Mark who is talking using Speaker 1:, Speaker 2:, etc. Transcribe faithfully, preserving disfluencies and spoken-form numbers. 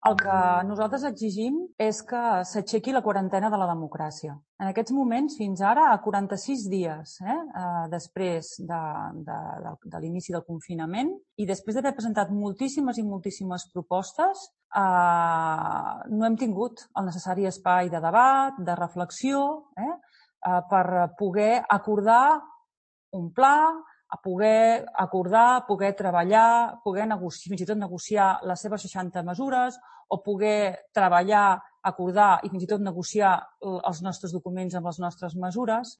Speaker 1: El que nosaltres exigim és que s'aixequi la quarantena de la democràcia. En aquests moments, fins ara, a quaranta-sis dies eh, eh, després de, de, de, de l'inici del confinament i després d'haver presentat moltíssimes i moltíssimes propostes, eh, no hem tingut el necessari espai de debat, de reflexió, eh, eh, per poder acordar un pla, a poder acordar, poder treballar, poder negociar, fins i tot negociar les seves seixanta mesures o poder treballar, acordar i fins i tot negociar els nostres documents amb les nostres mesures.